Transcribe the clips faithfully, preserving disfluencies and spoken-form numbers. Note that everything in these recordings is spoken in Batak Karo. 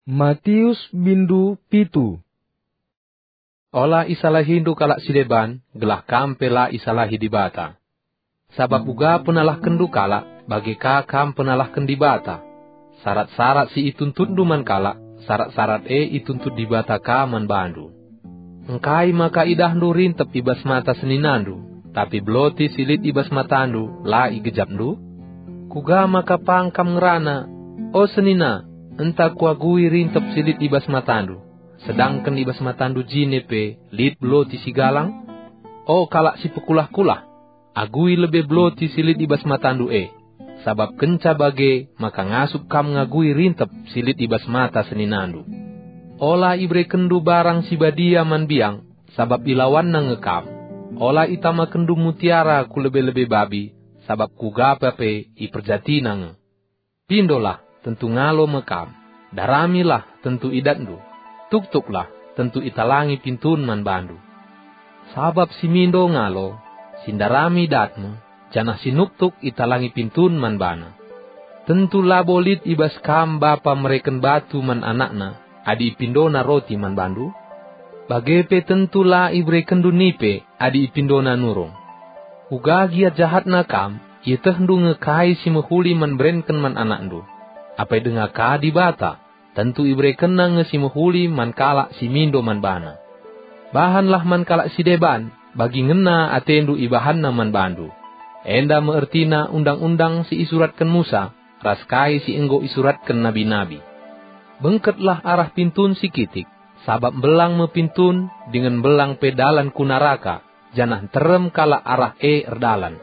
Matius bindu pitu. Ola isalahindu kalak si deban, gelah kam pe la isalahi Dibata. Sabap uga penalahkenndu kalak, bage ka kam penalahken Dibata. Sarat-sarat si ituntutndu man kalak, sarat-sarat e ituntut Dibata ka man bandu. Engkai maka idahndu rintep i bas mata seninandu, tapi beloti si lit i bas matandu la igejapndu? Kuga maka pang kam ngerana, "O senina, enta kuagui rintep si lit i bas matandu," sedangken i bas matandu jine pe lit beloti si galang? O kalak si pekulah-kulah, agui lebe beloti si lit i bas matandu e, sabap kenca bage maka ngasup kam ngagui rintep si lit i bas mata seninandu. Ola iberekenndu barang si badia man biang, sabap ilawanna nge kam. Ola itamakenndu mutiara ku lebe-lebe babi, sabap kuga pe iperjatina nge. Pindolah, tentu ngalo me kam. Daramilah, tentu idatndu. Tuktuklah, tentu italangi pintun man bandu. Sabap si mindo ngalo, si ndarami dat me, janah si nuktuk italangi pintun man bana. Tentu labo lit i bas kam bapa mereken batu man anakna, adi ipindona roti man bandu? Bage pe tentu la iberekenndu nipe, adi ipindona nurung. Uga gia jahatna kam, ietehndu nge kai si mehuli man berenken man anakndu. Apai denga ka Dibata, tentu iberekenNa nge si mehuli man kalak si mindo man baNa. Bahanlah man kalak si deban, bagi ngena atendu ibahanna man bandu. Enda me ertina undang-undang si isuratken Musa, ras kai si enggo isuratken nabi-nabi. Bengketlah arah pintun si kitik, sabap mbelang me pintun, dingen mbelang pe dalan ku naraka, janah nterem kalak arah e erdalan.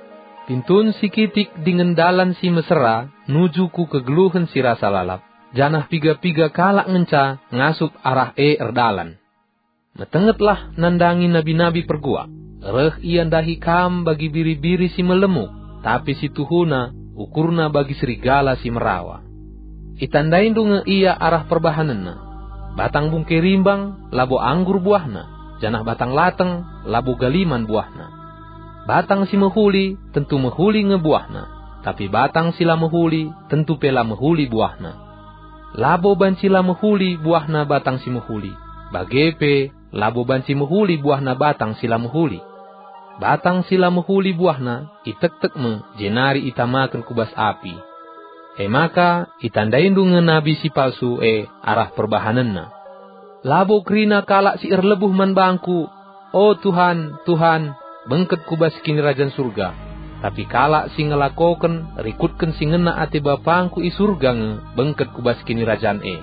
Pintun si kitik dingen dalan si mesera nuju ku kegeluhen si rasa lalap, janah piga-piga kalak ngenca ngasup arah e erdalan. Metengetlah nandangi nabi-nabi perguak. Reh ia ndahi kam bagi biri-biri si melemuk, tapi si tuhuna ukurna bagi serigala si merawa. Itandaindu nge ia arah perbahanenna. Batang bungke rimbang labo anggur buahna, janah batang lateng labo galiman buahna. Batang si mehuli tentu mehuli nge buahna, tapi batang si la mehuli tentu pe la mehuli buahna. Labo banci la mehuli buahna batang si mehuli, bage pe labo banci mehuli buahna batang si la mehuli. Batang si la mehuli buahna itektek me jenari itamaken ku bas api. E maka itandaindu nge nabi si palsu e arah perbahanenna. Labo kerina kalak si erlebuh man bangku, "O Tuhan, Tuhan, bengket ku bas Kinirajan Surga." Tapi kalak si ngelakoken rikutken si ngena ate BapangKu i Surga nge bengket ku bas Kinirajan e.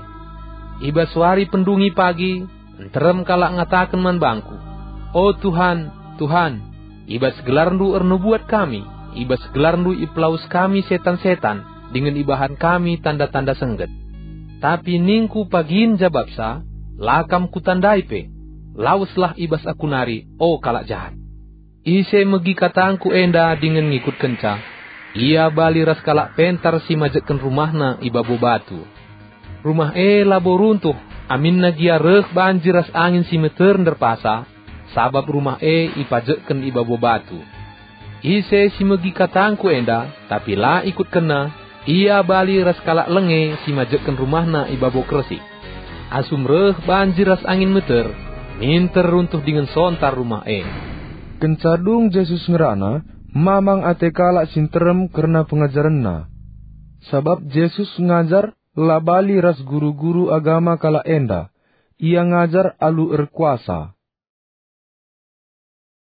I bas wari pendungi pagi, nterem kalak ngataken man bangku, "O Tuhan, Tuhan, i bas gelarNdu ernubuat kami, i bas gelarNdu ipelawes kami setan-setan, dingen ibahan kami tanda-tanda sengget." Tapi ningku pagin jabapsa, "La kam kutandai pe. Laweslah i bas aku nari, o kalak jahat." Ise megi katangku enda dingen ngikutkenca, ia bali ras kalak pentar si majekken rumahna i babo batu. Rumah e labo runtuh, aminna gia reh banjir ras angin si meter nderpasa, sabap rumah e ipajekken i babo batu. Ise si megi katangku enda, tapi la ikutkenna, ia bali ras kalak lenge si majekken rumahna i babo kersik. Asum reh banjir ras angin meter, minter runtuh dingen sontar rumah e. Kenca dung Jesus ngerana, mamang ate kalak si nterem kerna pengajarenNa. Sabap Jesus ngajar la bali ras guru-guru agama kalak enda. Ia ngajar alu erkuasa.